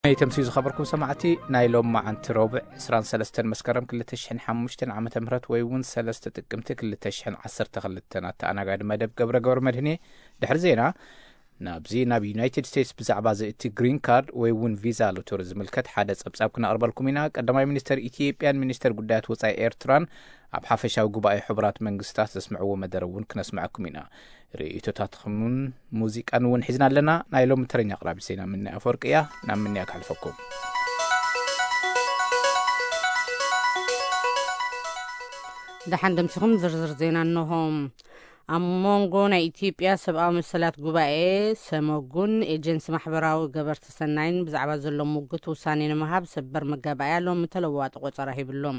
ናይ ተምስዩ ዝኸበርኩም ሰማዕቲ፣ ናይ ሎም መዓንቲ ረቡዕ ዕስራን ሰለስተን መስከረም ክልተ ሽሕን ሓሙሽተን ዓመተ ምህረት ወይ እውን ሰለስተ ጥቅምቲ ክልተ ሽሕን ዓሰርተ ክልተን ኣተኣናጋዲ መደብ ገብረ ገብረ መድህን እየ። ድሕሪ ዜና ናብዚ ናብ ዩናይትድ ስቴትስ ብዛዕባ እዚ እቲ ግሪን ካርድ ወይ እውን ቪዛ ሎተሪ ዝምልከት ሓደ ጸብጻብ ክነቕርበልኩም ኢና። ቀዳማይ ሚኒስተር ኢትዮጵያን ሚኒስተር ጉዳያት ወጻኢ ኤርትራን ኣብ ሓፈሻዊ ጉባኤ ሕቡራት መንግስታት ዘስምዕዎ መደረ እውን ክነስምዐኩም ኢና። ርእይቶታትኩምን ሙዚቃን እውን ሒዝና ኣለና። ናይ ሎሚ ተረኛ ኣቕራቢ ዜና ምንያ ኣፈወርቂ እያ። ናብ ምንያ ክሕልፈኩም። ደሓን ደምሲኹም ዝርዝር ዜና እንሆ። ኣብ መንጎ ናይ ኢትዮጵያ ሰብኣዊ መሰላት ጉባኤ፣ ሰመጉን ኤጀንሲ ማሕበራዊ ገበርቲ ሰናይን ብዛዕባ ዘሎ ሙግት ውሳኔ ንምሃብ ሰበር መጋባእያ ሎሚ ተለዋዋጢ ቆጸራ ሂብሎም።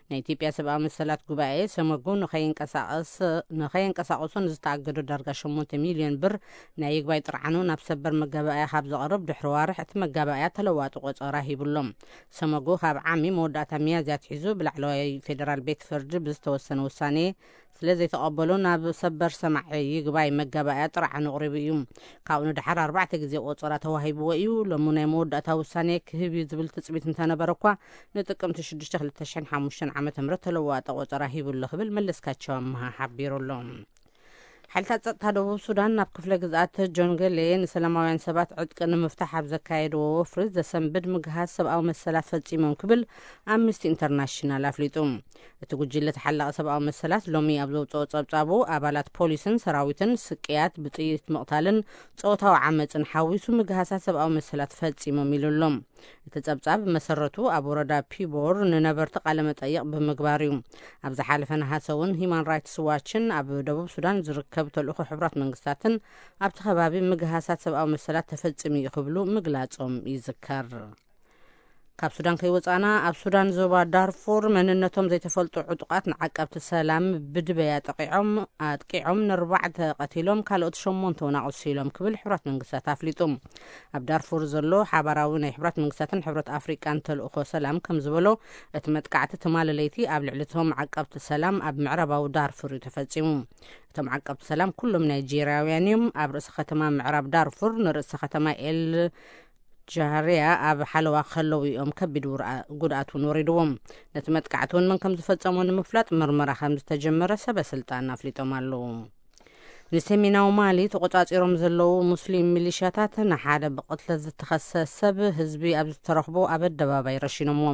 ናይ ኢትዮጵያ ሰብኣዊ መሰላት ጉባኤ፣ ሰመጉ ንኸይንቀሳቐስ-፣ ንኸየንቀሳቐሱ ንዝተኣገዱ ዳርጋ ሸሞንተ ሚልዮን ብር ናይ ይግባይ ጥርዓኑ ናብ ሰበር መጋባእያ ካብ ዘቕርብ ድሕሪ ዋርሕ እቲ መጋባእያ ተለዋዋጢ ቆጸራ ሂብሎም። ሰመጉ ካብ ዓሚ መወዳእታ ሚያዝያ ኣትሒዙ ብላዕለዋይ ፌደራል ቤት ፍርዲ ብዝተወሰነ ውሳኔ ስለ ዘይተቐበሉ ናብ ሰበር ሰማዒ ይግባይ መጋባእያ ጥርዓኑ ኣቕሪቡ እዩ። ካብኡ ንደሓር ኣርባዕተ ግዜ ቆጸራ ተዋሂብዎ እዩ። ሎሚ ናይ መወዳእታ ውሳኔ ክህብ እዩ ዝብል ትጽቢት እንተነበረ እኳ፣ ንጥቅምቲ ሽዱሽተ ክልተ ሽሕን ሓሙሽተን ዓመተ ምህረት ተለዋዋጠ ቆጸራ ሂቡ ኣሎ ክብል መለስካቸው ኣምሃ ሓቢሩ ኣሎ። ሓይልታት ጸጥታ ደቡብ ሱዳን ናብ ክፍለ ግዝኣት ጆንገሌ ንሰላማውያን ሰባት ዕጥቂ ንምፍታሕ ኣብ ዘካየድዎ ወፍሪ ዘሰንብድ ምግሃስ ሰብኣዊ መሰላት ፈጺሞም ክብል ኣምነስቲ ኢንተርናሽናል ኣፍሊጡ። እቲ ጉጅለ ተሓላቒ ሰብኣዊ መሰላት ሎሚ ኣብ ዘውፅኦ ጸብጻቡ፣ ኣባላት ፖሊስን ሰራዊትን ስቅያት፣ ብጥይት ምቕታልን ጾታዊ ዓመፅን ሓዊሱ ምግሃሳት ሰብኣዊ መሰላት ፈጺሞም ኢሉ ኣሎ። እቲ ጸብጻብ መሰረቱ ኣብ ወረዳ ፒቦር ንነበርቲ ቃለ መጠይቕ ብምግባር እዩ። ኣብ ዝሓለፈ ነሃሰ እውን ሂማን ራይትስ ዋችን ኣብ ደቡብ ሱዳን ዝርከብ ተልእኾ ሕቡራት መንግስታትን ኣብቲ ከባቢ ምግሃሳት ሰብኣዊ መሰላት ተፈጺሙ እዩ ክብሉ ምግላጾም ይዝከር። ካብ ሱዳን ከይወጻና፣ ኣብ ሱዳን ዞባ ዳርፉር መንነቶም ዘይተፈልጡ ዕጡቓት ንዓቀብቲ ሰላም ብድበያ ጠቂዖም፣ ኣጥቂዖም ንኣርባዕተ ቀቲሎም፣ ካልኦት ሸሞንተ እውን ኣቑሲሎም ክብል ሕቡራት መንግስታት ኣፍሊጡ። ኣብ ዳርፉር ዘሎ ሓባራዊ ናይ ሕቡራት መንግስታትን ሕብረት ኣፍሪቃን ተልእኾ ሰላም ከም ዝበሎ፣ እቲ መጥቃዕቲ ትማሊ ለይቲ ኣብ ልዕሊ እቶም ዓቀብቲ ሰላም ኣብ ምዕራባዊ ዳርፉር እዩ ተፈጺሙ። እቶም ዓቀብቲ ሰላም ኩሎም ናይጄርያውያን እዮም። ኣብ ርእሰ ከተማ ምዕራብ ዳርፉር ንርእሰ ከተማ ኤል ጃህርያ ኣብ ሓለዋ ከለዉ እዮም ከቢድ ውርኣ-፣ ጉድኣት እውን ወሪድዎም። ነቲ መጥቃዕቲ እውን መን ከም ዝፈጸሞ ንምፍላጥ ምርመራ ከም ዝተጀመረ ሰበ ስልጣን ኣፍሊጦም ኣለዉ። ንሰሜናዊ ማሊ ተቖጻጺሮም ዘለዉ ሙስሊም ሚሊሻታት ንሓደ ብቕትለት ዝተኸሰ ሰብ ህዝቢ ኣብ ዝተረኽቦ ኣብ ኣደባባይ ረሺኖምዎ።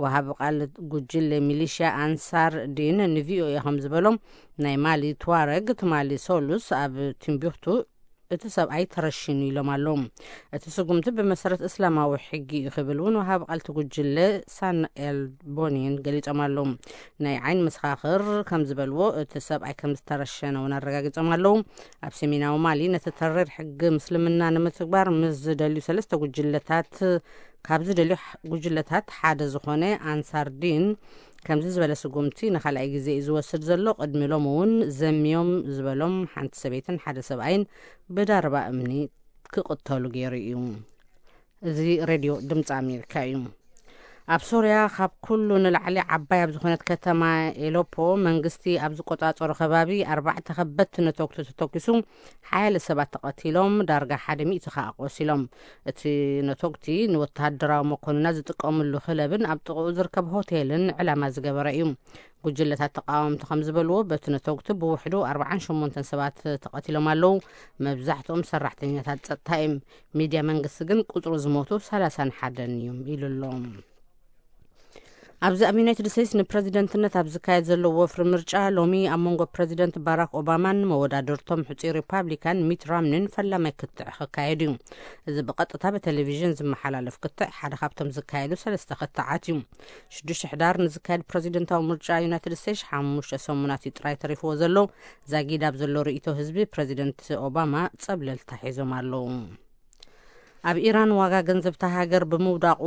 ወሃቢ ቃል ጉጅለ ሚሊሻ ኣንሳር ዲን ንቪኦኤ ከም ዝበሎም፣ ናይ ማሊ ትዋረግ ትማሊ ሶሉስ ኣብ ቲምቢክቱ እቲ ሰብኣይ ተረሺኑ ኢሎም ኣለዉ። እቲ ስጉምቲ ብመሰረት እስላማዊ ሕጊ እዩ ክብል እውን ወሃቢ ቃል እቲ ጉጅለ ሳን ኤል ቦኒን ገሊጾም ኣለዉ። ናይ ዓይኒ መሰኻኽር ከም ዝበልዎ፣ እቲ ሰብኣይ ከም ዝተረሸነ እውን ኣረጋጊጾም ኣለዉ። ኣብ ሰሜናዊ ማሊ ነቲ ተሪር ሕጊ ምስልምና ንምትግባር ምስ ዝደልዩ ሰለስተ ጉጅለታት፣ ካብ ዝደልዩ ሕ-፣ ጉጅለታት ሓደ ዝኾነ ኣንሳር ዲን፣ ከምዚ ዝበለ ስጉምቲ ንኻልኣይ ግዜ እዩ ዝወስድ ዘሎ። ቅድሚ ሎሚ እውን ዘምዮም ዝበሎም ሓንቲ ሰበይትን ሓደ ሰብኣይን ብዳርባ እምኒ ክቕተሉ ገይሩ እዩ። እዚ ሬድዮ ድምፂ ኣሜሪካ እዩ። ኣብ ሶርያ ካብ ኩሉ ንላዕሊ ዓባይ ኣብ ዝኾነት ከተማ ኤሎፖ መንግስቲ ኣብ ዝቆጻጸሮ ከባቢ ኣርባዕተ ከበድቲ ነተጉቲ ተተኪሱ ሓያለ ሰባት ተቐቲሎም፣ ዳርጋ ሓደ ሚእቲ ከኣ ቆሲሎም። እቲ ነተጉቲ ንወተሃደራዊ መኮንናት ዝጥቀምሉ ክለብን ኣብ ጥቕኡ ዝርከብ ሆቴልን ዕላማ ዝገበረ እዩ። ጉጅለታት ተቃወምቲ ከም ዝበልዎ፣ በቲ ነተጉቲ ብውሕዱ ኣርባዓን ሸሞንተን ሰባት ተቐቲሎም ኣለዉ። መብዛሕትኦም ሰራሕተኛታት ጸጥታ እዮም። ሚድያ መንግስቲ ግን ቁጽሪ ዝሞቱ ሰላሳን ሓደን እዮም ኢሉ ኣሎ። ኣብዚ ኣብ ዩናይትድ ስቴትስ ንፕረዚደንትነት ኣብ ዝካየድ ዘሎ ወፍሪ ምርጫ፣ ሎሚ ኣብ መንጎ ፕረዚደንት ባራክ ኦባማን መወዳድርቶም ሕጹይ ሪፓብሊካን ሚት ራምኒን ፈላማይ ክትዕ ክካየድ እዩ። እዚ ብቐጥታ ብቴሌቪዥን ዝመሓላለፍ ክትዕ ሓደ ካብቶም ዝካየዱ ሰለስተ ክትዓት እዩ። ሽዱሽተ ሕዳር ንዝካየድ ፕረዚደንታዊ ምርጫ ዩናይትድ ስቴትስ ሓሙሽተ ሰሙናት እዩ ጥራይ ተሪፍዎ ዘሎ። ዛጊድ ኣብ ዘሎ ርእይቶ ህዝቢ፣ ፕረዚደንት ኦባማ ጸብለልታ ሒዞም ኣለዉ። ኣብ ኢራን ዋጋ ገንዘብ እታ ሃገር ብምውዳቑ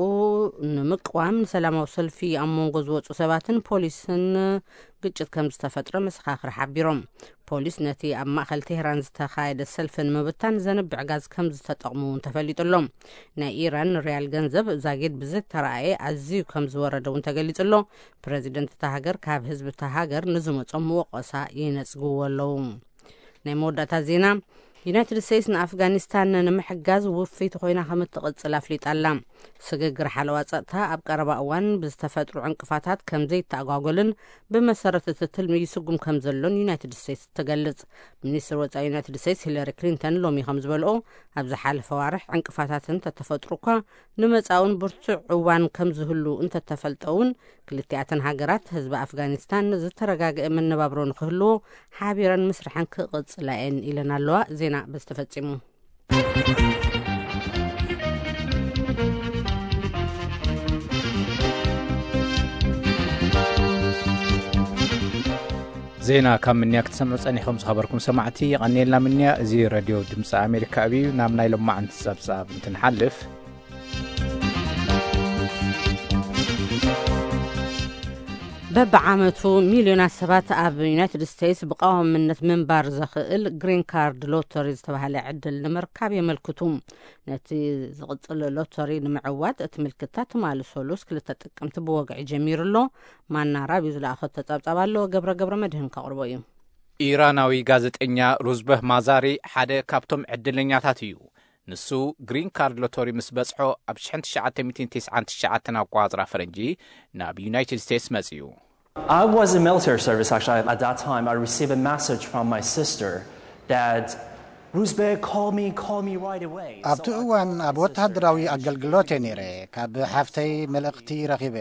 ንምቅዋም ንሰላማዊ ሰልፊ ኣብ መንጎ ዝወጹ ሰባትን ፖሊስን ግጭት ከም ዝተፈጥረ መሰኻኽር ሓቢሮም። ፖሊስ ነቲ ኣብ ማእከል ቴህራን ዝተኻየደ ሰልፊ ንምብታን ዘንብዕ ጋዝ ከም ዝተጠቕሙ እውን ተፈሊጡ ኣሎ። ናይ ኢራን ሪያል ገንዘብ ዛጊድ ብዝተረኣየ ኣዝዩ ከም ዝወረደ እውን ተገሊጹ ኣሎ። ፕረዚደንት እታ ሃገር ካብ ህዝቢ እታ ሃገር ንዝመጾም ወቐሳ ይነጽግዎ ኣለዉ። ናይ መወዳእታ ዜና፣ ዩናይትድ ስቴትስ ንኣፍጋኒስታን ንምሕጋዝ ውፍይቲ ኮይና ከም እትቕጽል ኣፍሊጣ ኣላ። ስግግር ሓለዋ ጸጥታ ኣብ ቀረባ እዋን ብዝተፈጥሩ ዕንቅፋታት ከም ዘይተኣጓጎልን ብመሰረት እቲ ትልሚ ይስጉም ከም ዘሎን ዩናይትድ ስቴትስ ትገልጽ። ሚኒስትር ወጻኢ ዩናይትድ ስቴትስ ሂለሪ ክሊንተን ሎሚ ከም ዝበልኦ፣ ኣብ ዝሓለፈ ዋርሕ ዕንቅፋታት እንተተፈጥሩ እኳ፣ ንመጻኡን ብርቱዕ እዋን ከም ዝህሉ እንተተፈልጠ እውን፣ ክልቲኣተን ሃገራት ህዝቢ ኣፍጋኒስታን ዝተረጋግአ መነባብሮ ንክህልዎ ሓቢረን ምስርሐን ክቕጽላ እየን ኢለን ኣለዋ። ዜና በዚ ተፈጺሙ። ዜና ካብ ምንያ ክትሰምዑ ጸኒሕኩም ዝኸበርኩም ሰማዕቲ የቐንየልና ምንያ። እዚ ረድዮ ድምፂ ኣሜሪካ እዩ። ናብ ናይ ሎማዓንቲ ጸብጻብ እንትንሓልፍ፣ በብዓመቱ ሚልዮናት ሰባት ኣብ ዩናይትድ ስቴትስ ብቐዋምነት ምንባር ዘኽእል ግሪን ካርድ ሎተሪ ዝተባህለ ዕድል ንምርካብ የመልክቱ። ነቲ ዝቕጽል ሎተሪ ንምዕዋት እቲ ምልክታ ትማሊ ሰሉስ ክልተ ጥቅምቲ ብወግዒ ጀሚሩ ኣሎ። ማና ራብዩ ዝለኣኸቶ ጸብጻብ ኣሎ። ገብረ ገብረ መድህን ከቕርቦ እዩ። ኢራናዊ ጋዜጠኛ ሩዝበህ ማዛሪ ሓደ ካብቶም ዕድለኛታት እዩ። ንሱ ግሪን ካርድ ሎተሪ ምስ በጽሖ ኣብ ሽሕን ትሽዓተ ሚእትን ተስዓን ትሽዓተን ኣቆጻጽራ ፈረንጂ ናብ ዩናይትድ ስቴትስ መጺኡ። I was in military service actually. At that time, I received a message from my sister that Ruzbeh, call me, call me right away. ኣብቲ እዋን ኣብ ወተሃደራዊ ኣገልግሎት እየ ነይረ። ካብ ሓፍተይ መልእኽቲ ረኺበ።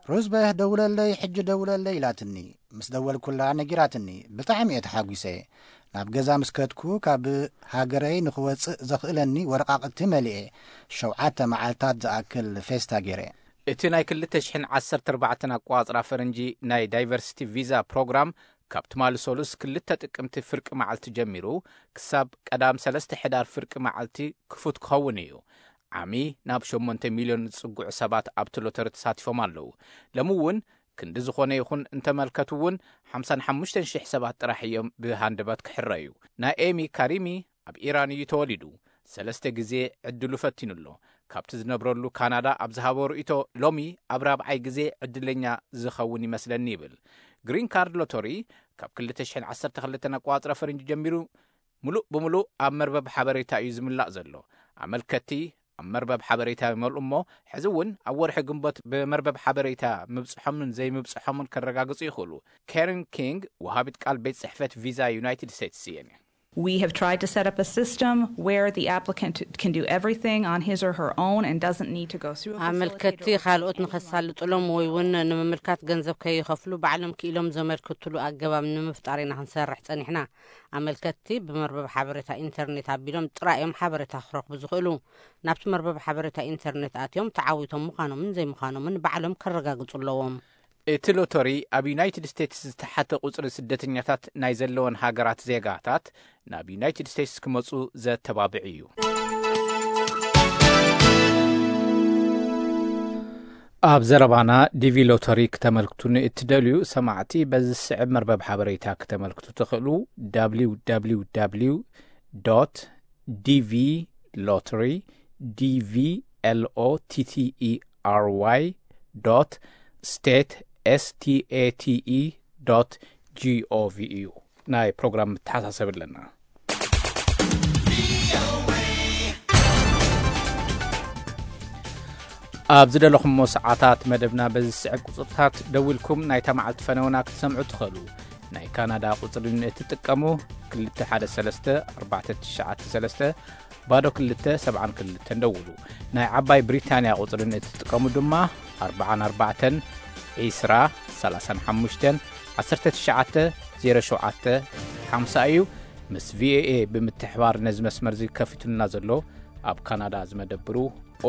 ሩዝበህ ደውለለይ፣ ሕጂ ደውለለይ ኢላትኒ። ምስ ደወልኩላ ነጊራትኒ። ብጣዕሚ እየ ተሓጒሰ። ናብ ገዛ ምስ ከድኩ ካብ ሃገረይ ንኽወጽእ ዘኽእለኒ ወረቓቕቲ መሊኤ። ሸውዓተ መዓልታት ዝኣክል ፌስታ ገይረ። እቲ ናይ ክልተ ሽሕን ዓሰርተ ኣርባዕተን ኣቆጻጽራ ፈረንጂ ናይ ዳይቨርሲቲ ቪዛ ፕሮግራም ካብ ትማሊ ሰሉስ ክልተ ጥቅምቲ ፍርቂ መዓልቲ ጀሚሩ ክሳብ ቀዳም ሰለስተ ሕዳር ፍርቂ መዓልቲ ክፉት ክኸውን እዩ። ዓሚ ናብ ሸሞንተ ሚልዮን ዝጽግዑ ሰባት ኣብቲ ሎተሪ ተሳቲፎም ኣለዉ። ሎሚ እውን ክንዲ ዝኾነ ይኹን እንተመልከቱ እውን ሓምሳን ሓሙሽተን ሽሕ ሰባት ጥራሕ እዮም ብሃንደበት ክሕረዩ። ናይ ኤሚ ካሪሚ ኣብ ኢራን እዩ ተወሊዱ። ሰለስተ ግዜ ዕድሉ ፈቲኑ ኣሎ። ካብቲ ዝነብረሉ ካናዳ ኣብ ዝሃቦ ርእይቶ፣ ሎሚ ኣብ ራብዓይ ግዜ ዕድለኛ ዝኸውን ይመስለኒ ይብል። ግሪን ካርድ ሎተሪ ካብ ክልተ ሽሕን ዓሰርተ ክልተን ኣቆጻጽራ ፈረንጂ ጀሚሩ ምሉእ ብምሉእ ኣብ መርበብ ሓበሬታ እዩ ዝምላእ ዘሎ። ኣመልከቲ ኣብ መርበብ ሓበሬታ ይመልኡ እሞ፣ ሕዚ እውን ኣብ ወርሒ ግንቦት ብመርበብ ሓበሬታ ምብጽሖምን ዘይምብጽሖምን ከረጋግጹ ይኽእሉ። ካረን ኪንግ፣ ወሃቢት ቃል ቤት ጽሕፈት ቪዛ ዩናይትድ ስቴትስ እየን። We have tried to set up a system where the applicant can do everything on his or her own and doesn't need to go through a ኣመልከቲ facilitator. ካልኦት ንኸሳልጥሎም ወይ እውን ንምምልካት ገንዘብ ከይኸፍሉ ባዕሎም ክኢሎም ዘመልክትሉ ኣገባብ ንምፍጣር ኢና ክንሰርሕ ጸኒሕና። ኣመልከትቲ ብመርበብ ሓበሬታ ኢንተርኔት ኣቢሎም ጥራይ እዮም ሓበሬታ ክረኽቡ ዝኽእሉ። ናብቲ መርበብ ሓበሬታ ኢንተርኔት ኣትዮም ተዓዊቶም ምዃኖምን ዘይምዃኖምን ባዕሎም ከረጋግጹ ኣለዎም። እቲ ሎተሪ ኣብ ዩናይትድ ስቴትስ ዝተሓተ ቁጽሪ ስደተኛታት ናይ ዘለወን ሃገራት ዜጋታት ናብ ዩናይትድ ስቴትስ ክመጹ ዘተባብዕ እዩ። ኣብ ዘረባና ዲቪ ሎተሪ ክተመልክቱ ንእትደልዩ ሰማዕቲ በዚ ዝስዕብ መርበብ ሓበሬታ ክተመልክቱ ትኽእሉ። www dot dvlottery, dvlottery dot state, state, gov እዩ። ናይ ፕሮግራም መተሓሳሰቢ ኣለና። ኣብ ዝደለኹሞ ሰዓታት መደብና በዚ ዝስዕብ ቁጽርታት ደዊልኩም ናይታ መዓልቲ ፈነውና ክትሰምዑ ትኽእሉ። ናይ ካናዳ ቁጽሪ ንእትጥቀሙ፣ ክልተ ሓደ ሰለስተ ኣርባዕተ ትሽዓተ ሰለስተ ባዶ ክልተ ሰብዓን ክልተን ደውሉ። ናይ ዓባይ ብሪታንያ ቁጽሪ ንእትጥቀሙ ድማ፣ ኣርብዓን ኣርባዕተን ዒስራ ሰላሳን ሓሙሽተን ዓሰርተ ትሽዓተ ዜሮ ሸውዓተ ሓምሳ እዩ። ምስ ቪኦኤ ብምትሕባር ነዚ መስመር እዚ ከፊቱልና ዘሎ ኣብ ካናዳ ዝመደብሩ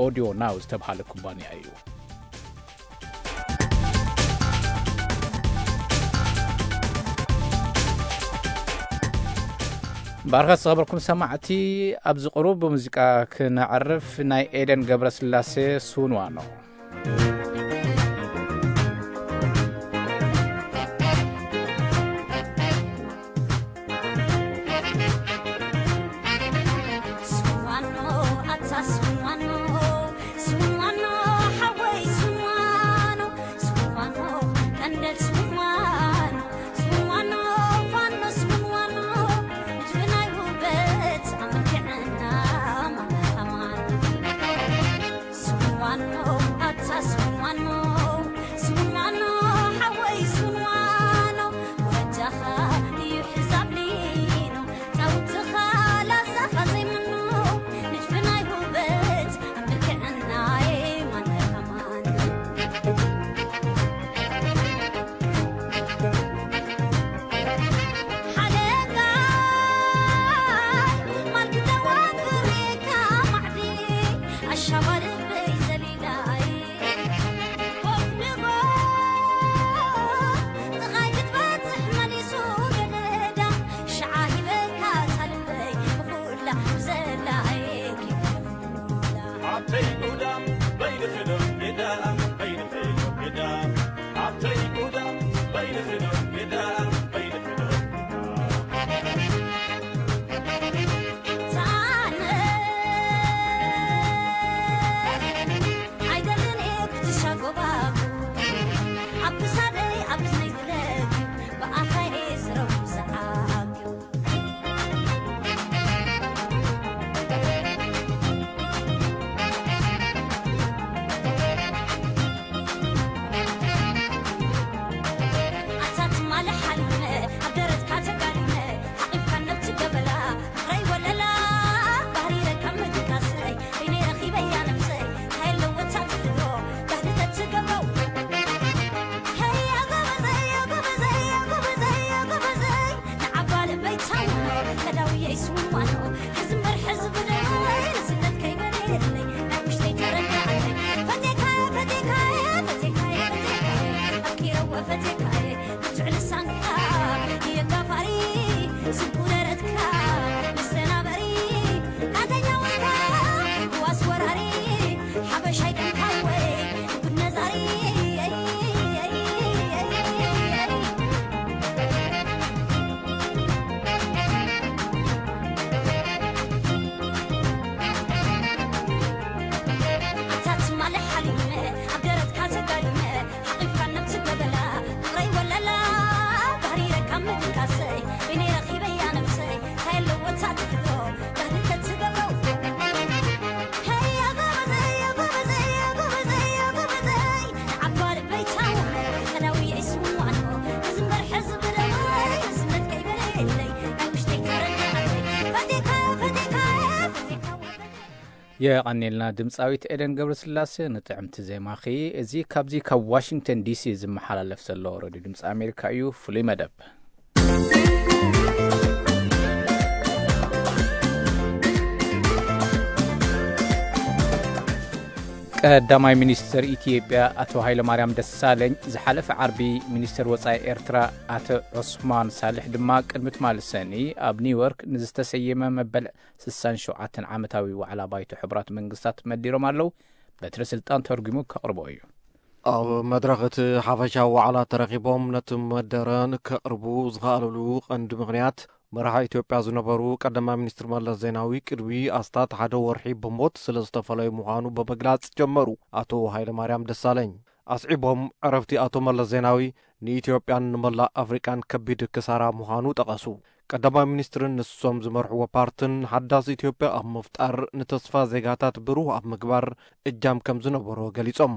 ኦዲዮ ናው ዝተብሃለ ኩባንያ እዩ። ባርኸት ዝኸበርኩም ሰማዕቲ፣ ኣብዚ ቁሩብ ብሙዚቃ ክነዕርፍ፣ ናይ ኤደን ገብረስላሴ ስውንዋኖ። የቐኔልና ድምፃዊት ኤደን ገብረስላሴ ንጥዕምቲ ዜማኺ። እዚ ካብዚ ካብ ዋሽንግተን ዲሲ ዝመሓላለፍ ዘሎ ሬድዮ ድምፂ ኣሜሪካ እዩ። ፍሉይ መደብ። ቀዳማይ ሚኒስትር ኢትዮጵያ ኣቶ ሃይለማርያም ደሳለኝ ዝሓለፈ ዓርቢ፣ ሚኒስትር ወጻኢ ኤርትራ ኣቶ ዑስማን ሳልሕ ድማ ቅድሚ ትማሊ ሰኒ ኣብ ኒውዮርክ ንዝተሰየመ መበል ስሳን ሸውዓተን ዓመታዊ ዋዕላ ባይቶ ሕቡራት መንግስታት መዲሮም ኣለዉ። በትረ ስልጣን ተርጉሙ ከቕርቦ እዩ። ኣብ መድረኽ እቲ ሓፈሻዊ ዋዕላ ተረኺቦም ነቲ መደረ ንከቕርቡ ዝኸኣሉሉ ቀንዲ ምኽንያት፣ መራሒ ኢትዮጵያ ዝነበሩ ቀዳማይ ሚኒስትር መለስ ዜናዊ ቅድሚ ኣስታት ሓደ ወርሒ ብሞት ስለ ዝተፈለዩ ምዃኑ ብምግላጽ ጀመሩ። ኣቶ ሃይለማርያም ደሳለኝ ኣስዒቦም፣ ዕረፍቲ ኣቶ መለስ ዜናዊ ንኢትዮጵያን ንመላእ ኣፍሪቃን ከቢድ ክሳራ ምዃኑ ጠቐሱ። ቀዳማይ ሚኒስትርን ንሶም ዝመርሕዎ ፓርትን ሓዳስ ኢትዮጵያ ኣብ ምፍጣር ንተስፋ ዜጋታት ብሩህ ኣብ ምግባር እጃም ከም ዝነበሮ ገሊጾም።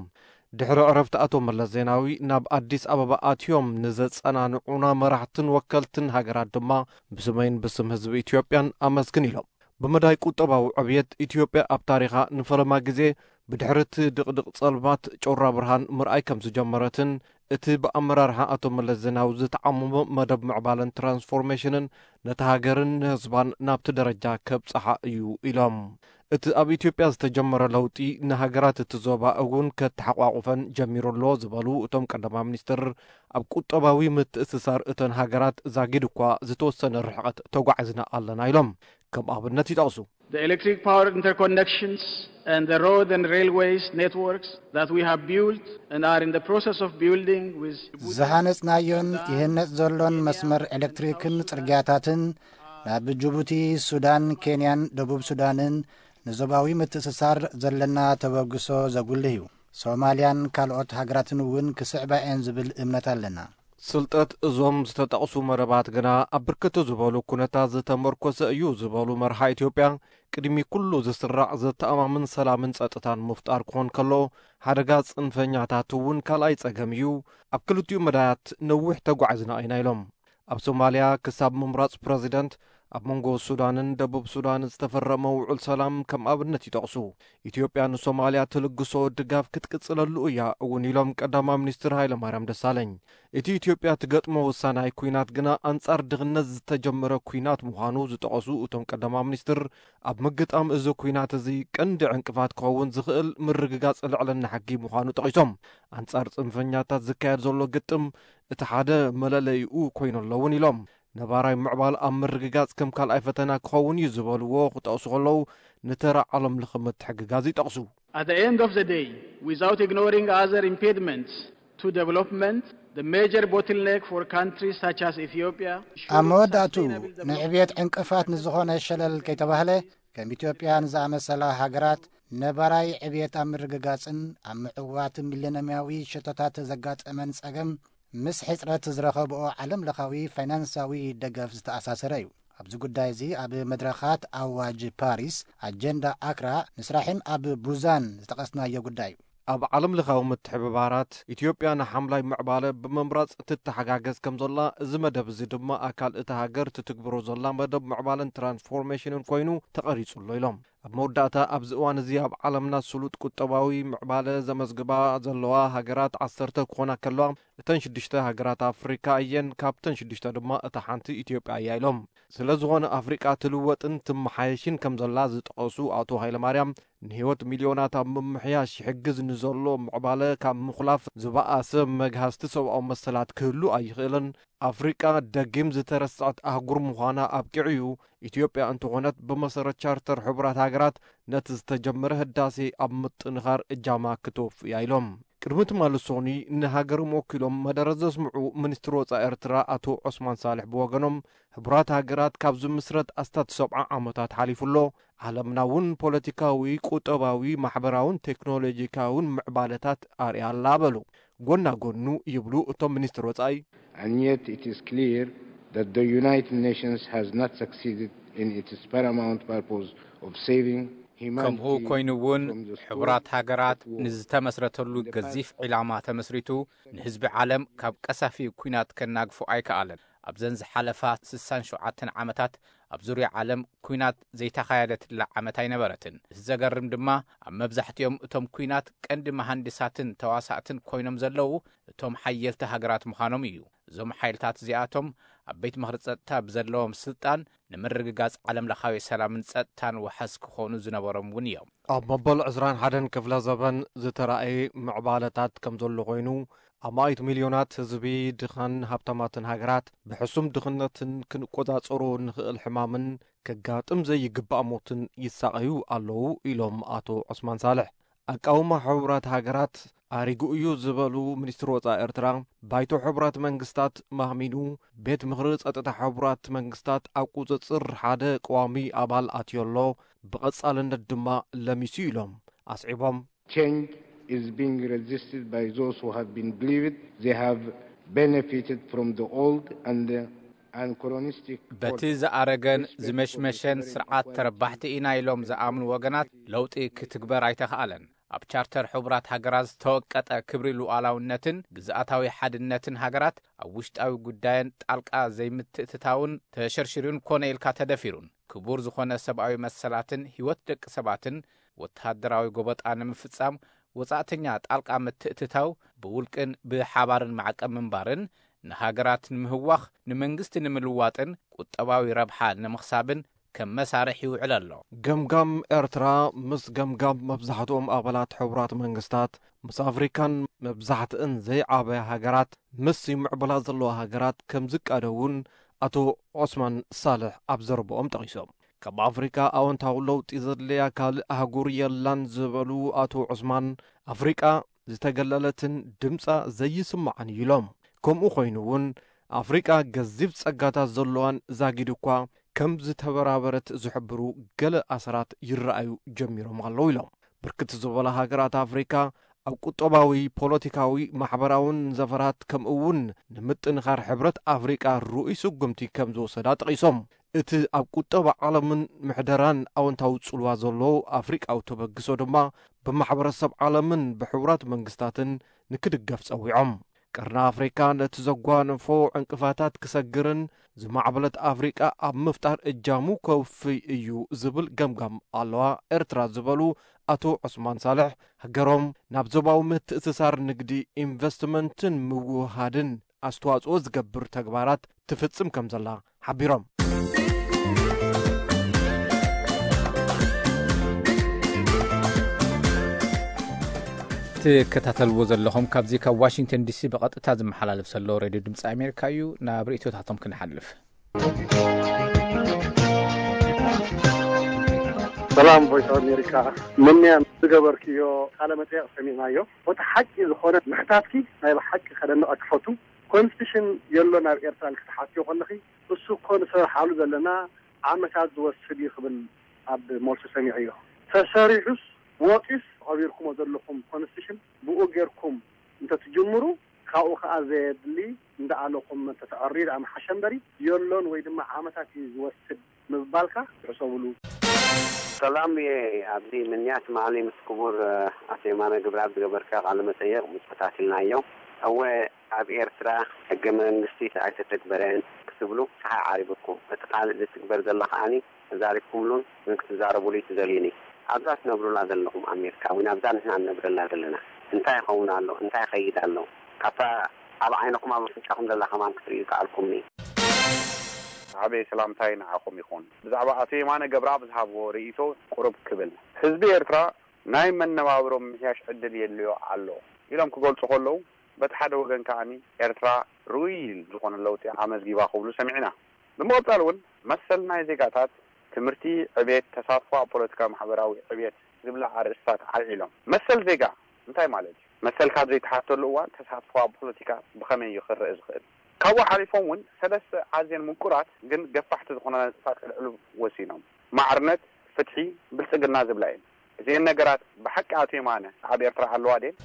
ድሕሪ ዕረፍቲ ኣቶ መለስ ዜናዊ ናብ ኣዲስ ኣበባ ኣትዮም ንዘጸናንዑና መራሕትን ወከልትን ሃገራት ድማ ብስመይን ብስም ህዝቢ ኢትዮጵያን ኣመስግን ኢሎም። ብመዳይ ቁጠባዊ ዕብየት፣ ኢትዮጵያ ኣብ ታሪኻ ንፈለማ ግዜ ብድሕሪ እቲ ድቕድቕ ጸልማት ጮራ ብርሃን ምርኣይ ከም ዝጀመረትን እቲ ብኣመራርሓ ኣቶ መለስ ዜናዊ ዝተዓመመ መደብ ምዕባለን ትራንስፎርሜሽንን ነታ ሃገርን ንህዝባን ናብቲ ደረጃ ከብጽሓ እዩ ኢሎም። እቲ ኣብ ኢትዮጵያ ዝተጀመረ ለውጢ ንሃገራት እቲ ዞባ እውን ከተሓቋቑፈን ጀሚሩ ኣሎ ዝበሉ እቶም ቀዳማይ ሚኒስትር፣ ኣብ ቁጠባዊ ምትእስሳር እተን ሃገራት ዛጊድ እኳ ዝተወሰነ ርሕቐት ተጓዒዝና ኣለና ኢሎም። ከም ኣብነት ይጠቕሱ። The electric power interconnections and the road and railways networks that we have built and are in the process of building with Djibouti ዝሃነጽናዮን ይህነጽ ዘሎን መስመር ኤሌክትሪክን ጽርግያታትን ናብ ጅቡቲ፣ ሱዳን፣ ኬንያን ደቡብ ሱዳንን ንዞባዊ ምትእስሳር ዘለና ተበግሶ ዘጉልህ እዩ። ሶማልያን ካልኦት ሃገራትን እውን ክስዕባ እየን ዝብል እምነት ኣለና። ስልጠት እዞም ዝተጠቕሱ መደባት ግና ኣብ ብርክት ዝበሉ ኩነታት ዝተመርኮሰ እዩ ዝበሉ መርሓ ኢትዮጵያ፣ ቅድሚ ኩሉ ዝስራዕ ዘተኣማምን ሰላምን ጸጥታን ምፍጣር ክኾን ከሎ፣ ሓደጋ ጽንፈኛታት እውን ካልኣይ ጸገም እዩ። ኣብ ክልቲኡ መዳያት ነዊሕ ተጓዒዝና ኢና ኢሎም። ኣብ ሶማልያ ክሳብ ምምራጽ ፕረዚደንት ኣብ መንጎ ሱዳንን ደቡብ ሱዳን ዝተፈረመ ውዑል ሰላም ከም ኣብነት ይጠቕሱ። ኢትዮጵያ ንሶማልያ ትልግሶ ድጋፍ ክትቅጽለሉ እያ እውን ኢሎም ቀዳማይ ሚኒስትር ሃይለማርያም ደሳለኝ። እቲ ኢትዮጵያ ትገጥሞ ወሳናይ ኲናት ግና ኣንጻር ድኽነት ዝተጀመረ ኲናት ምዃኑ ዝጠቐሱ እቶም ቀዳማይ ሚኒስትር፣ ኣብ ምግጣም እዚ ኲናት እዚ ቀንዲ ዕንቅፋት ክኸውን ዝኽእል ምርግጋጽ ልዕልና ሕጊ ምዃኑ ጠቒሶም፣ ኣንጻር ጽንፈኛታት ዝካየድ ዘሎ ግጥም እቲ ሓደ መለለይኡ ኮይኑ ኣለውን ኢሎም። ነባራይ ምዕባል ኣብ ምርግጋጽ ከም ካልኣይ ፈተና ክኸውን እዩ ዝበልዎ ክጠቕሱ ከለዉ፣ ንተራ ዓለም ለኸ ምትሕግጋዝ ይጠቕሱ። At the end of the day, without ignoring other impediments to development, the major bottleneck for countries such as Ethiopia ኣብ መወዳእቱ ንዕብየት ዕንቅፋት ንዝኾነ ሸለል ከይተባህለ፣ ከም ኢትዮጵያን ዝኣመሰላ ሃገራት ነባራይ ዕብየት ኣብ ምርግጋጽን ኣብ ምዕዋት ሚለንያዊ ሸቶታት ዘጋጠመን ጸገም ምስ ሕጽረት ዝረኸብኦ ዓለም ለኻዊ ፋይናንሳዊ ደገፍ ዝተኣሳሰረ እዩ። ኣብዚ ጉዳይ እዚ ኣብ መድረኻት ኣዋጅ ፓሪስ፣ ኣጀንዳ ኣክራ፣ ንስራሕን ኣብ ቡዛን ዝጠቐስናዮ ጉዳይ እዩ። ኣብ ዓለም ለኻዊ ምትሕብባራት ኢትዮጵያ ንሓምላይ ምዕባለ ብምምራጽ ትተሓጋገዝ ከም ዘላ፣ እዚ መደብ እዚ ድማ ኣካል እታ ሃገር ትትግብሮ ዘላ መደብ ምዕባለን ትራንስፎርሜሽንን ኮይኑ ተቐሪጹ ኣሎ ኢሎም። ኣብ መወዳእታ፣ ኣብዚ እዋን እዚ ኣብ ዓለምና ስሉጥ ቁጠባዊ ምዕባለ ዘመዝግባ ዘለዋ ሃገራት ዓሰርተ ክኾና ከለዋ፣ እተን ሽዱሽተ ሃገራት ኣፍሪካ እየን። ካብተን ሽዱሽተ ድማ እታ ሓንቲ ኢትዮጵያ እያ ኢሎም። ስለ ዝኾነ ኣፍሪቃ ትልወጥን ትመሓየሽን ከም ዘላ ዝጠቐሱ ኣቶ ሃይለማርያም፣ ንህይወት ሚልዮናት ኣብ ምምሕያሽ ይሕግዝ ንዘሎ ምዕባለ ካብ ምኹላፍ ዝበኣሰ መግሃስቲ ሰብኣዊ መሰላት ክህሉ ኣይኽእልን። ኣፍሪቃ ደጊም ዝተረስዐት ኣህጉር ምዃና ኣብቂዑ እዩ። ኢትዮጵያ እንተኾነት ብመሰረት ቻርተር ሕቡራት ሃገራት ነቲ ዝተጀመረ ህዳሴ ኣብ ምጥንኻር እጃማ ክትወፍእ እያ ኢሎም። ቅድሚ ትማሊ ሶኒ ንሃገሮም ወኪሎም መደረ ዘስምዑ ሚኒስትር ወጻኢ ኤርትራ ኣቶ ዑስማን ሳልሕ ብወገኖም፣ ሕቡራት ሃገራት ካብ ዝምስረት ኣስታት ሰብዓ ዓመታት ሓሊፉ ኣሎ፣ ዓለምና እውን ፖለቲካዊ፣ ቁጠባዊ፣ ማሕበራውን ቴክኖሎጂካውን ምዕባለታት ኣርእያ ኣላ በሉ። ጎና ጎኑ ይብሉ እቶም ሚኒስትር ወጻኢ። And yet it is clear that the United Nations has not succeeded in its paramount purpose of saving humanity ከምኡ ኮይኑ እውን from the scourge ሕቡራት ሃገራት of war. ንዝተመስረተሉ ገዚፍ ዒላማ ተመስሪቱ ንህዝቢ ዓለም ካብ ቀሳፊ ኲናት ከናግፎ ኣይከኣለን። ኣብዘን ዝሓለፋ ስሳን ሸውዓተን ዓመታት ኣብ ዙርያ ዓለም ኲናት ዘይተኻየደትላ ዓመት ኣይነበረትን። እቲ ዘገርም ድማ፣ ኣብ መብዛሕትኦም እቶም ኲናት ቀንዲ መሃንዲሳትን ተዋሳእትን ኮይኖም ዘለዉ እቶም ሓየልቲ ሃገራት ምዃኖም እዩ። እዞም ሓይልታት እዚኣቶም ኣብ ቤት ምኽሪ ጸጥታ ብዘለዎም ስልጣን ንምርግጋጽ ዓለምለኻዊ ሰላምን ጸጥታን ዋሕስ ክኾኑ ዝነበሮም እውን እዮም። ኣብ መበል ዕስራን ሓደን ክፍለ ዘበን ዝተራእየ ምዕባለታት ከም ዘሎ ኮይኑ፣ ኣማኢት ሚልዮናት ህዝቢ ድኻን ሃብታማትን ሃገራት ብሕሱም ድኽነትን ክንቆጻጸሮ ንኽእል ሕማምን ከጋጥም ዘይግባእ ሞትን ይሳቐዩ ኣለዉ ኢሎም ኣቶ ዑስማን ሳልሕ። ኣቃውማ ሕቡራት ሃገራት ኣሪጉ እዩ ዝበሉ ሚኒስትር ወጻኢ ኤርትራ፣ ባይቶ ሕቡራት መንግስታት ማህሚኑ፣ ቤት ምኽሪ ጸጥታ ሕቡራት መንግስታት ኣብ ቁጽጽር ሓደ ቀዋሚ ኣባል ኣትዮ ኣሎ፣ ብቐጻልነት ድማ ለሚሱ ኢሎም ኣስዒቦም። Change is being resisted by those who have been believed they have benefited from the old and anachronistic በቲ ዝኣረገን ዝመሽመሸን ስርዓት ተረባሕቲ ኢና ኢሎም ዝኣምኑ ወገናት ለውጢ ክትግበር ኣይተኽኣለን። ኣብ ቻርተር ሕቡራት ሃገራት ዝተወቀጠ ክብሪ ሉዓላውነትን ግዝኣታዊ ሓድነትን ሃገራት ኣብ ውሽጣዊ ጉዳየን ጣልቃ ዘይምትእትታውን ተሸርሽሩን ኮነ ኢልካ ተደፊሩን ክቡር ዝኾነ ሰብኣዊ መሰላትን ህይወት ደቂ ሰባትን ወተሃደራዊ ጎበጣ ንምፍጻም ወጻእተኛ ጣልቃ ምትእትታው ብውልቅን ብሓባርን ማዕቀብ ምንባርን ንሃገራት ንምህዋኽ፣ ንመንግስቲ ንምልዋጥን ቁጠባዊ ረብሓ ንምኽሳብን ከም መሳርሕ ይውዕል ኣሎ። ገምጋም ኤርትራ ምስ ገምጋም መብዛሕትኦም ኣባላት ሕቡራት መንግስታት ምስ ኣፍሪካን መብዛሕትእን ዘይዓበያ ሃገራት ምስ ይምዕብላ ዘለዋ ሃገራት ከም ዝቃደ እውን ኣቶ ዑስማን ሳልሕ ኣብ ዘረብኦም ጠቒሶም። ካብ ኣፍሪካ ኣወንታዊ ለውጢ ዘድለያ ካልእ ኣህጉር የላን ዝበሉ ኣቶ ዑስማን፣ ኣፍሪቃ ዝተገለለትን ድምጻ ዘይስማዕን እዩ ኢሎም። ከምኡ ኮይኑ እውን ኣፍሪቃ ገዚፍ ጸጋታት ዘለዋን ዛጊድ እኳ ከም ዝተበራበረት ዝሕብሩ ገለ ኣሰራት ይረኣዩ ጀሚሮም ኣለዉ ኢሎም። ብርክት ዝበላ ሃገራት ኣፍሪካ ኣብ ቁጠባዊ፣ ፖለቲካዊ፣ ማሕበራውን ዘፈራት ከምኡ እውን ንምጥንኻር ሕብረት ኣፍሪቃ ርኡይ ስጉምቲ ከም ዝወሰዳ ጠቒሶም። እቲ ኣብ ቁጠባ ዓለምን ምሕደራን ኣወንታዊ ጽልዋ ዘለዎ ኣፍሪቃዊ ተበግሶ ድማ ብማሕበረሰብ ዓለምን ብሕቡራት መንግስታትን ንክድገፍ ጸዊዖም። ቀርኒ ኣፍሪካ ነቲ ዘጓነፎ ዕንቅፋታት ክሰግርን ዝማዕበለት ኣፍሪቃ ኣብ ምፍጣር እጃሙ ከውፍይ እዩ ዝብል ገምጋም ኣለዋ ኤርትራ ዝበሉ ኣቶ ዑስማን ሳልሕ፣ ሃገሮም ናብ ዞባዊ ምትእስሳር ንግዲ፣ ኢንቨስትመንትን ምውህሃድን ኣስተዋጽኦ ዝገብር ተግባራት ትፍጽም ከም ዘላ ሓቢሮም። ትከታተልዎ ዘለኹም ካብዚ ካብ ዋሽንግተን ዲሲ ብቐጥታ ዝመሓላለፍ ዘሎ ሬድዮ ድምፂ ኣሜሪካ እዩ። ናብ ርእይቶታቶም ክንሓልፍ። ሰላም ቮይስ ኣሜሪካ፣ ምንያ ዝገበርክዮ ቃለ መጠየቕ ሰሚዕናዮ። እቲ ሓቂ ዝኾነ ምሕታትኪ ናይ ብሓቂ ከደንቐኪ ፈቱ። ኮንስቲቱሽን የሎን ኣብ ኤርትራ ኢልኪ ትሓትዮ ከለኺ፣ እሱ እኮ ንሰርሓሉ ዘለና ዓመታት ዝወስድ እዩ ክብል ኣብ መልሱ ሰሚዐዮ። ተሰሪሑስ ወጺኡስ ቀቢርኩሞ ዘለኹም ኮንስቲቱሽን ብኡ ጌርኩም እንተትጅምሩ ካብኡ ከኣ ዘየድሊ እንዳኣለኹም እንተተዕርዩ ደኣ ምሓሸ እምበሪ፣ የሎን ወይ ድማ ዓመታት እዩ ዝወስድ ምባልካ ይሕሰብሉ። ሰላም እየ ኣብዚ ምንያት መዓሊ ምስ ክቡር ኣቶ የማነ ግብረኣብ ዝገበርካ ቃለ መጠየቕ ምስ ተታቲልናዮ እወ ኣብ ኤርትራ ሕገ መንግስቲ ኣይተተግበረን ክትብሉ ፀሓይ ዓሪብኩም እቲ ካልእ ዝትግበር ዘሎ ከዓኒ ተዛሪብኩምሉን ግን ክትዛረቡሉ እዩ ትደልዩኒ ኣብዛ ትነብሩላ ዘለኹም ኣሜሪካ ወይ ናብዛ ንሕና ንነብረላ ዘለና እንታይ ይኸውን ኣሎ እንታይ ይኸይድ ኣሎ ካብታ ኣብ ዓይንኹም ኣብ ኣፍንጫኹም ዘላ ከማን ክትርእዩ ከኣልኩምኒ። ዝዓበየ ሰላምታይ ንዓኹም ይኹን። ብዛዕባ ኣቶ የማነ ገብረኣብ ዝሃብዎ ርእይቶ ቁሩብ ክብል፣ ህዝቢ ኤርትራ ናይ መነባብሮ ምምሕያሽ ዕድል የድልዮ ኣሎ ኢሎም ክገልጹ ከለዉ፣ በቲ ሓደ ወገን ከኣ ኤርትራ ርኡይ ዝኾነ ለውጢ ኣመዝጊባ ክብሉ ሰሚዕና። ብምቕጻል እውን መሰል ናይ ዜጋታት፣ ትምህርቲ፣ ዕቤት፣ ተሳትፎ ኣብ ፖለቲካዊ ማሕበራዊ ዕቤት ዝብላ ኣርእስታት ኣልዒሎም። መሰል ዜጋ እንታይ ማለት እዩ? መሰል ካብ ዘይተሓተሉ እዋን ተሳትፎ ኣብ ፖለቲካ ብኸመይ እዩ ክረአ ዝኽእል? ካብኡ ሓሊፎም እውን ሰለስተ ኣዝየን ምቁራት ግን ገፋሕቲ ዝኾና ነጥብታት ከልዕሉ ወሲኖም። ማዕርነት፣ ፍትሒ፣ ብልጽግና ዝብላ እየን። እዚኤን ነገራት ብሓቂ ኣቶ የማነ ኣብ ኤርትራ ኣለዋ ድየን?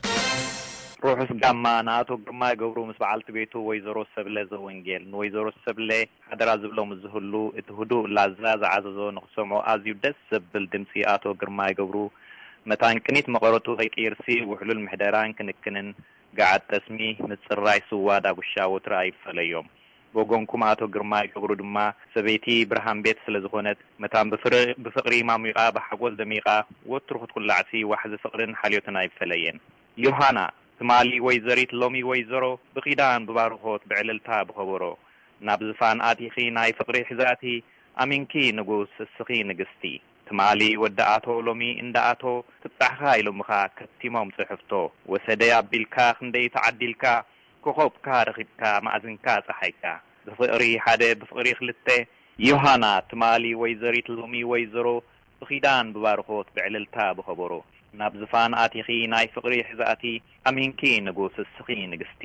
ርሑስ ጋማ ንኣቶ ግርማይ ገብሩ ምስ በዓልቲ ቤቱ ወይዘሮ ሰብለ ዘወንጌል። ንወይዘሮ ሰብለ ሓደራ ዝብሎ ምስ ዝህሉ እቲ ህዱእ ላዛ ዝዓዘዞ ንኽሰምዖ ኣዝዩ ደስ ዘብል ድምጺ ኣቶ ግርማይ ገብሩ መታን ቅኒት መቐረቱ ከይቅይርሲ ውሕሉል ምሕደራን ክንክንን ገዓት ጠስሚ፣ ምጽራይ ስዋ ዳጉሻ ወትሩ ኣይፈለዮም። ብወገንኩም ኣቶ ግርማይ ገብሩ ድማ፣ ሰበይቲ ብርሃን ቤት ስለ ዝኾነት፣ መታን ብፍር-፣ ብፍቕሪ ማሚቓ፣ ብሓጎስ ደሚቓ፣ ወትሩ ክትኩላዕሲ ዋሕዚ ፍቕርን ሓልዮትን ኣይፈለየን። ዮሃና፣ ትማሊ ወይዘሪት ሎሚ ወይዘሮ፣ ብኺዳን ብባርኾት ብዕልልታ ብኸበሮ፣ ናብ ዝፋን ኣቲኺ ናይ ፍቕሪ ሕዛእቲ፣ ኣሚንኪ ንጉስ እስኺ ንግስቲ። ትማሊ ወዲ ኣቶ ሎሚ እንዳ ኣቶ፣ ትብጻሕኻ ኢሎምኻ ከቲሞም ጽሕፍቶ። ወሰደይ ኣቢልካ ክንደይ ተዓዲልካ፣ ኮኾብካ ረኺብካ መኣዝንካ ጸሓይካ። ብፍቕሪ ሓደ ብፍቕሪ ክልተ፣ ዮሃና ትማሊ ወይዘሪት ሎሚ ወይዘሮ፣ ብኺዳን ብባርኾት ብዕልልታ ብኸበሮ፣ ናብ ዝፋን ኣቲኺ ናይ ፍቕሪ ሕዛእቲ፣ ኣሚንኪ ንጉስ እስኺ ንግስቲ።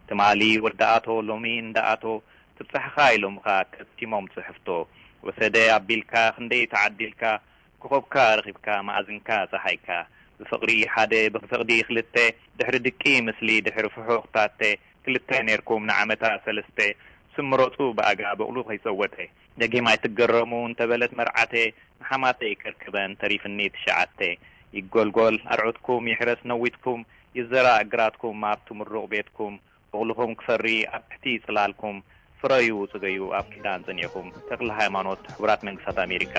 ትማሊ ወዲ ኣቶ ሎሚ እንዳ ኣቶ፣ ትብጻሕኻ ኢሎምኻ ከቲሞም ጽሕፍቶ። ወሰደ ኣቢልካ ክንደይ ተዓዲልካ፣ ኮኾብካ ረኺብካ መኣዝንካ ጸሓይካ። ብፍቕሪ ሓደ ብፍቕዲ ክልተ፣ ድሕሪ ድቂ ምስሊ ድሕሪ ፍሑኽ ታተ፣ ክልተ ኔርኩም ንዓመታ ሰለስተ፣ ስም ምረጹ ብኣጋ በቕሉ ከይጸወተ። ደጊም ኣይትገረሙ እንተበለት መርዓተ፣ ንሓማተይ ከርክበን ተሪፍኒ ትሽዓተ። ይጎልጎል ኣርዑትኩም ይሕረስ ነዊትኩም፣ ይዘራእ ግራትኩም ኣብቲ ምሩቕ ቤትኩም፣ በቕልኹም ክፈሪ ኣብ ትሕቲ ጽላልኩም፣ ፍረዩ ጽገዩ ኣብ ኪዳን ጸኒዕኩም። ተክለ ሃይማኖት፣ ሕቡራት መንግስታት ኣሜሪካ።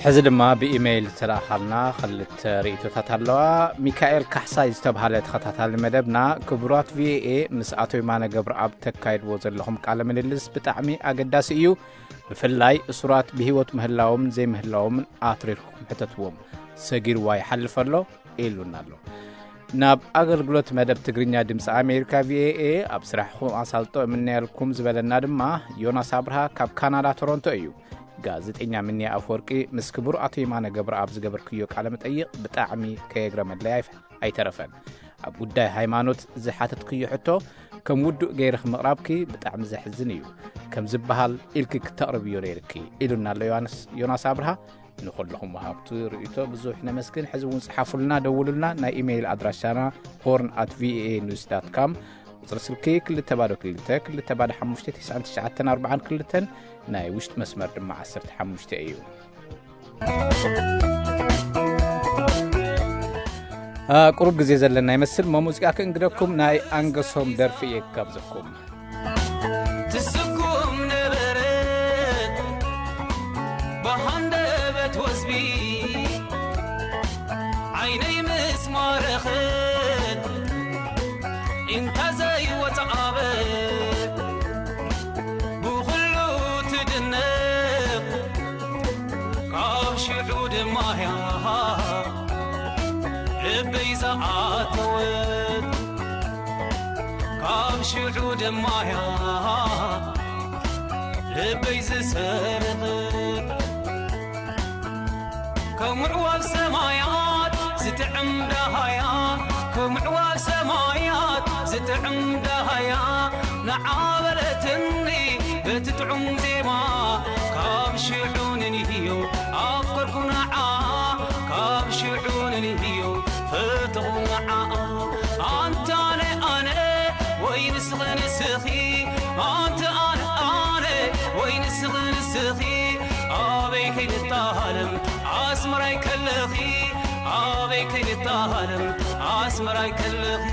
ሕዚ ድማ ብኢሜይል ዝተላእኻልና ክልተ ርእይቶታት ኣለዋ። ሚካኤል ካሕሳይ ዝተብሃለ ተኸታታሊ መደብና፣ ክቡራት ቪኦኤ፣ ምስ ኣቶ የማነ ገብረኣብ ተካይድዎ ዘለኹም ቃለ ምልልስ ብጣዕሚ ኣገዳሲ እዩ። ብፍላይ እሱራት ብህይወት ምህላዎም ዘይምህላዎም ኣትሪርኩም ሕተትዎም። ሰጊርዋ ይሓልፍ ኣሎ ኢሉና ኣሎ። ናብ ኣገልግሎት መደብ ትግርኛ ድምፂ ኣሜሪካ ቪኦኤ ኣብ ስራሕኹም ኣሳልጦ እምነየልኩም ዝበለና ድማ ዮናስ ኣብርሃ ካብ ካናዳ ቶሮንቶ እዩ። ጋዜጠኛ ምንያ ኣፈወርቂ ምስ ክቡር ኣቶ የማነ ገብረኣብ ዝገበርክዮ ቃለ መጠይቕ ብጣዕሚ ከየግረመለይ ኣይፈ-፣ ኣይተረፈን። ኣብ ጉዳይ ሃይማኖት ዝሓተትክዮ ሕቶ ከም ውዱእ ገይርኺ ምቕራብኪ ብጣዕሚ ዘሕዝን እዩ። ከም ዝበሃል ኢልኪ ክተቕርብዮ ነይርኪ ኢሉና ኣሎ ዮሃንስ፣ ዮናስ ኣብርሃ። ንኹልኹም ወሃብቲ ርእይቶ ብዙሕ ነመስግን። ሕዚ እውን ጽሓፉልና፣ ደውሉልና። ናይ ኢሜይል ኣድራሻና ሆርን ኣት ቪኦኤ ኒውስ ዳት ካም፣ ቁጽሪ ስልኪ ክልተ ባዶ ክልተ፣ ክልተ ባዶ ሓሙሽተ፣ ትሽዓን ትሽዓተን ኣርባዓን ክልተን፣ ናይ ውሽጢ መስመር ድማ ዓሰርተ ሓሙሽተ እዩ። አ፣ ቁሩብ ግዜ ዘለና ይመስል። እሞ ሙዚቃ ክእንግደኩም፣ ናይ ኣንገሶም ደርፊ እየ ክጋብዘኩም። ትስኩም ነበረት ብሃንደበት ወዝቢ ዓይነይ ምስ ማረኸት እንታ ዘይወጽኣበት ብኹሉ ትድነቕ ካብ ሽዑ ድማ እያ ልበይ ዝኣተወት ካብ ሽዑ ድማ እያ ልበይ ዝሰርቕት ከም ምዕዋብ ሰማያት ዝጥዕም ዳሃያ ከም ምዕዋብ ሰማያት ዝጥዕም ዳሃያ ንዓ በለትኒ በቲ ጥዑም ዜማ ካብ ሽዑ ንንህዮ ኣፍቀርኩ ንዓ ካብ ሽዑ ንንህዮ ፈተኹ ንዓ ኣንታ ኣነ ኣነ ወይ ንስኺ ንስኺ ኣንታ ኣነ ኣነ ወይ ንስኺ ንስኺ ኣበይ ከይንታሃለም ኣስመራይ ከለኺ ኣበይ ከይንታሃለም ኣስመራይ ከለኺ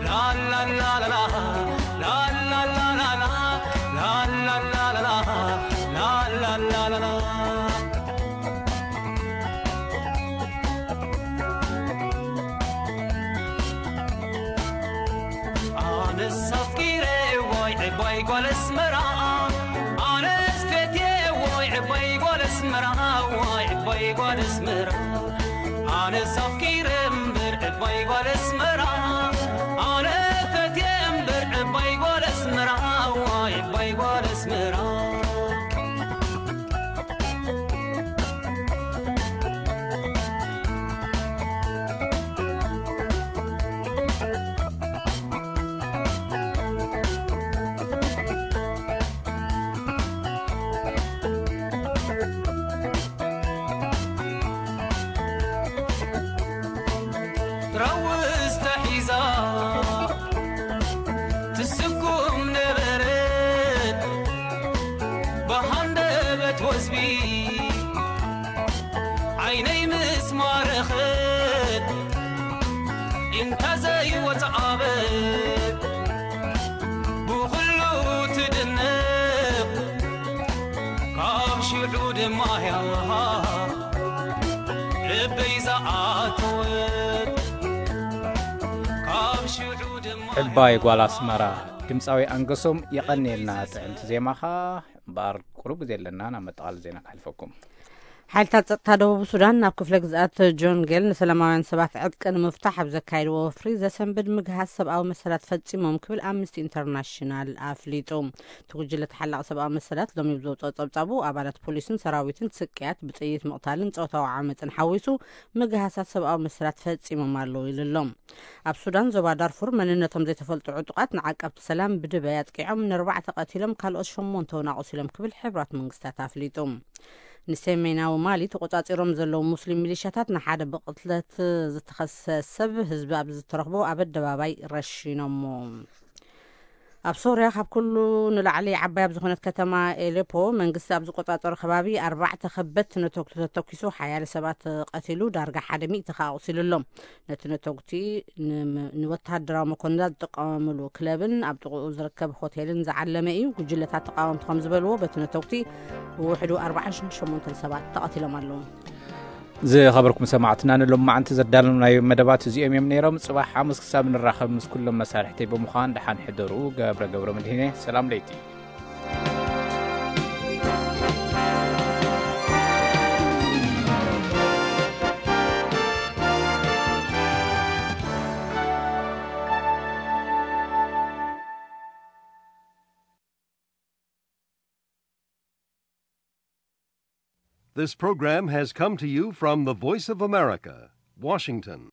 ላላላላላ ላላላላላ ላላላላላ ኣነስ ኣፍቂረ ዋይ ዕባይ ጓል ኣስመራ ኣነስ ፈትየ ዋይ ዕባይ ጓል ኣስመራ ዋይ ዕባይ ጓል ኣስመራ ኣነስ ኣፍቂረ እምበር ዕባይ ጓል ኣስመራ ኣነ ፈትየ እምበር ዕባይ ጓል ኣስመራ ዋይ ዕባይ ጓል ኣስመራ ራውዝ ተሒዛ ትስኩም ነበረት ብሃንደበት ወዝቢ ዓይነይ ምስ ማረኸት እንተ ዘይወፅኣበት ብኹሉ ትድነቕ፣ ካብ ሽዑ ድማ ያሃ ልበይ ዝኣተወት፣ ካብ ሽዑ ድማ ዕባይ ጓል ኣስመራ። ድምፃዊ ኣንገሶም የቐንየልና ጥዕምቲ ዜማኻ። እምበኣር ቁሩብ ግዜ ኣለና ናብ መጠቓል ዜና ከሕልፈኩም። ሓይልታት ጸጥታ ደቡብ ሱዳን ናብ ክፍለ ግዝኣት ጆንጌል ንሰላማውያን ሰባት ዕጥቂ ንምፍታሕ ኣብ ዘካየድዎ ወፍሪ ዘሰንብድ ምግሃስ ሰብኣዊ መሰላት ፈጺሞም ክብል ኣምነስቲ ኢንተርናሽናል ኣፍሊጡ። እቲ ጉጅለ ተሓላቒ ሰብኣዊ መሰላት ሎሚ ብዘውፅኦ ጸብጻቡ ኣባላት ፖሊስን ሰራዊትን ስቅያት ብጥይት ምቕታልን ጾታዊ ዓመፅን ሓዊሱ ምግሃሳት ሰብኣዊ መሰላት ፈጺሞም ኣለዉ ኢሉ ኣሎ። ኣብ ሱዳን ዞባ ዳርፉር መንነቶም ዘይተፈልጡ ዕጡቓት ንዓቀብቲ ሰላም ብድበይ ኣጥቂዖም ንኣርባዕተ ቀቲሎም ካልኦት ሸሞንተ እውን ኣቑሲሎም ክብል ሕብራት መንግስታት ኣፍሊጡ። ንሰሜናዊ ማሊ ተቆጻጺሮም ዘለዉ ሙስሊም ሚሊሻታት ንሓደ ብቕትለት ዝተኸሰ ሰብ ህዝቢ ኣብ ዝተረኽቦ ኣብ ኣደባባይ ረሺኖሞ። ኣብ ሶርያ ካብ ኩሉ ንላዕሊ ዓባይ ኣብ ዝኾነት ከተማ ኤሌፖ መንግስቲ ኣብ ዝቆጻጸሮ ከባቢ ኣርባዕተ ከበድቲ ነተጉቲ ተተኪሱ ሓያለ ሰባት ቀቲሉ ዳርጋ ሓደ ሚእቲ ከኣ ኣቑሲሉ ኣሎ። ነቲ ነተጉቲ ን- ንወተሃደራዊ መኮንናት ዝጥቀምሉ ክለብን ኣብ ጥቕኡ ዝርከብ ሆቴልን ዝዓለመ እዩ። ጉጅለታት ተቃወምቲ ከም ዝበልዎ በቲ ነተጉቲ ብውሕዱ ኣርባዓን ሸሞንተን ሰባት ተቐቲሎም ኣለዉ። ዝኸበርኩም ሰማዕትና ንሎማዓንቲ ዘዳለናዮ መደባት እዚኦም እዮም ነይሮም። ጽባሕ ሓሙስ ክሳብ ንራኸብ ምስ ኩሎም መሳርሕተይ ብምዃን ደሓን ሕደሩ። ገብረ ገብረ መድህኔ ሰላም ለይቲ። This program has come to you from the Voice of America, Washington.